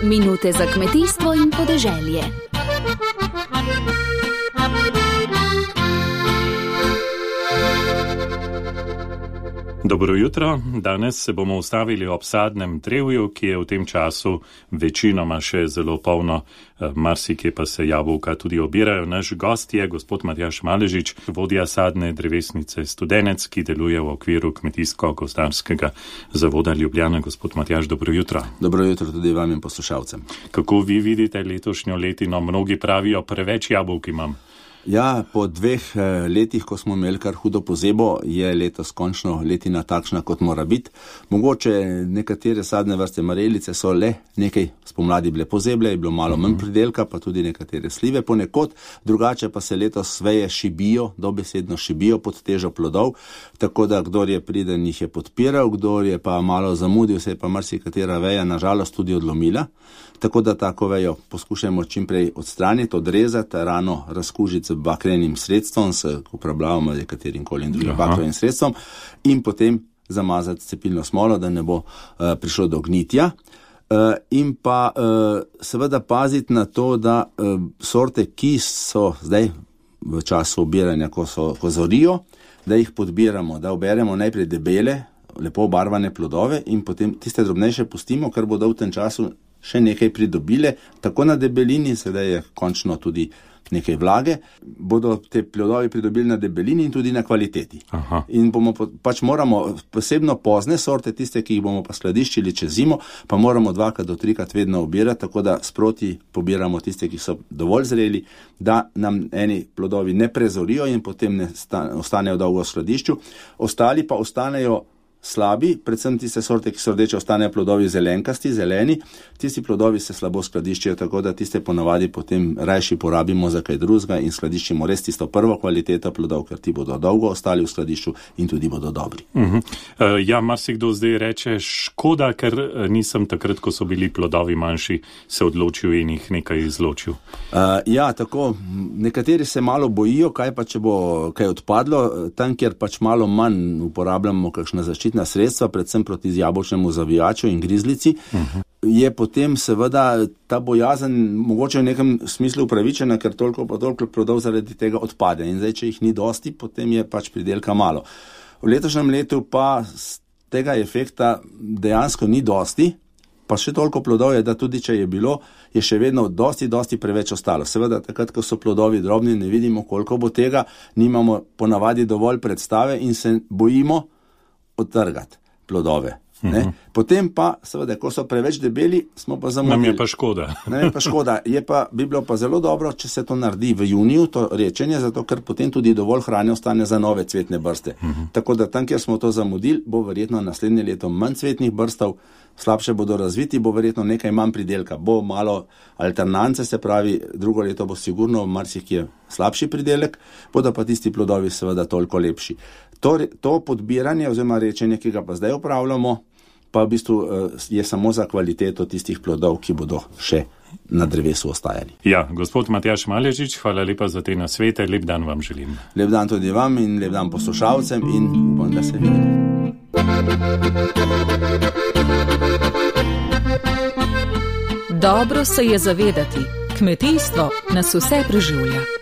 Minute za kmetijstvo in podeželje. Dobro jutro. Danes se bomo ustavili ob sadnem drevju, ki je v tem času večinoma še zelo polno, marsikje pa se jabolka tudi obirajo. Naš gost je gospod Matjaž Maležič, vodja sadne drevesnice Studenec, ki deluje v okviru Kmetijsko-gozdarskega zavoda Ljubljana. Gospod Matjaž, dobro jutro. Dobro jutro tudi vam in poslušalcem. Kako vi vidite letošnjo letino? Mnogi pravijo, preveč jabolk imam. Ja, po 2 letih, ko smo imeli kar hudo pozebo, je letos končno letina takšna, kot mora biti. Mogoče nekatere sadne vrste marelice so le nekaj spomladi bile pozeble, je bilo malo manj pridelka, pa tudi nekatere slive ponekod, drugače pa se letos veje šibijo, dobesedno šibijo pod težo plodov, tako da kdor je priden, jih je podpiral, kdor je pa malo zamudil, se je pa marsikatera veja nažalost tudi odlomila, tako da tako vejo poskušamo čimprej odstraniti, odrezati, rano razkužiti z bakrenim sredstvom, s uporabljavamo nekaterim kolim drugim bakrenim sredstvom in potem zamazati cepilno smolo, da ne bo prišlo do gnitja. In pa seveda paziti na to, da sorte, ki so zdaj v času obiranja, ko zorijo, da jih podbiramo, da oberemo najprej debele, lepo obarvane plodove in potem tiste drobnejše pustimo, ker bodo v tem času še nekaj pridobile, tako na debelini, sedaj je končno tudi nekaj vlage, bodo te plodovi pridobili na debelini in tudi na kvaliteti. Aha. In moramo posebno pozne sorte, tiste, ki jih bomo pa skladiščili čez zimo, pa moramo 2 do 3 vedno obirati, tako da sproti pobiramo tiste, ki so dovolj zreli, da nam eni plodovi ne prezorijo in potem ne ostanejo dolgo v skladišču, ostali pa ostanejo slabi, predvsem tiste sorte, ki so rdeče, ostanejo plodovi zelenkasti, zeleni, tisti plodovi se slabo skladiščijo, tako da tiste ponavadi potem rajši porabimo za kaj drugega in skladiščimo res tisto prvo kvaliteto plodov, ker ti bodo dolgo ostali v skladišču in tudi bodo dobri. Ja, marsikdo zdaj reče, škoda, ker nisem takrat, ko so bili plodovi manjši, se odločil in jih nekaj izločil. Ja, tako, nekateri se malo bojijo, kaj pa, če bo kaj odpadlo, tam, kjer pač malo manj uporabljamo kakšna zaščitna sredstva, predvsem proti jabolčnemu zavijaču in grizlici, je potem seveda ta bojazen mogoče v nekem smislu upravičena, ker toliko plodov zaradi tega odpade. In zdaj, če jih ni dosti, potem je pač pridelka malo. V letošnjem letu pa tega efekta dejansko ni dosti, pa še toliko plodov je, da tudi če je bilo, je še vedno dosti preveč ostalo. Seveda, takrat, ko so plodovi drobni, ne vidimo, koliko bo tega, nimamo ponavadi dovolj predstave in se bojimo odtrgati plodove. Potem pa, seveda, ko so preveč debeli, smo pa zamudili. Nam je pa škoda. Bi bilo pa zelo dobro, če se to naredi v juniju, to rečenje, zato ker potem tudi dovolj hrane ostane za nove cvetne brste. Tako da tam, kjer smo to zamudili, bo verjetno naslednje leto manj cvetnih brstov, slabše bodo razviti, bo verjetno nekaj manj pridelka, bo malo alternance, se pravi, drugo leto bo sigurno marsikje slabši pridelek, bodo pa tisti plodovi seveda toliko lepši. To podbiranje oziroma rečenje, ki ga pa zdaj upravljamo, pa v bistvu je samo za kvaliteto tistih plodov, ki bodo še na drevesu ostajali. Ja, gospod Matjaž Maležič, hvala lepa za te nasvete, lep dan vam želim. Lep dan tudi vam in lep dan poslušalcem in upam, da se vidimo. Dobro se je zavedati, kmetijstvo nas vse preživlja.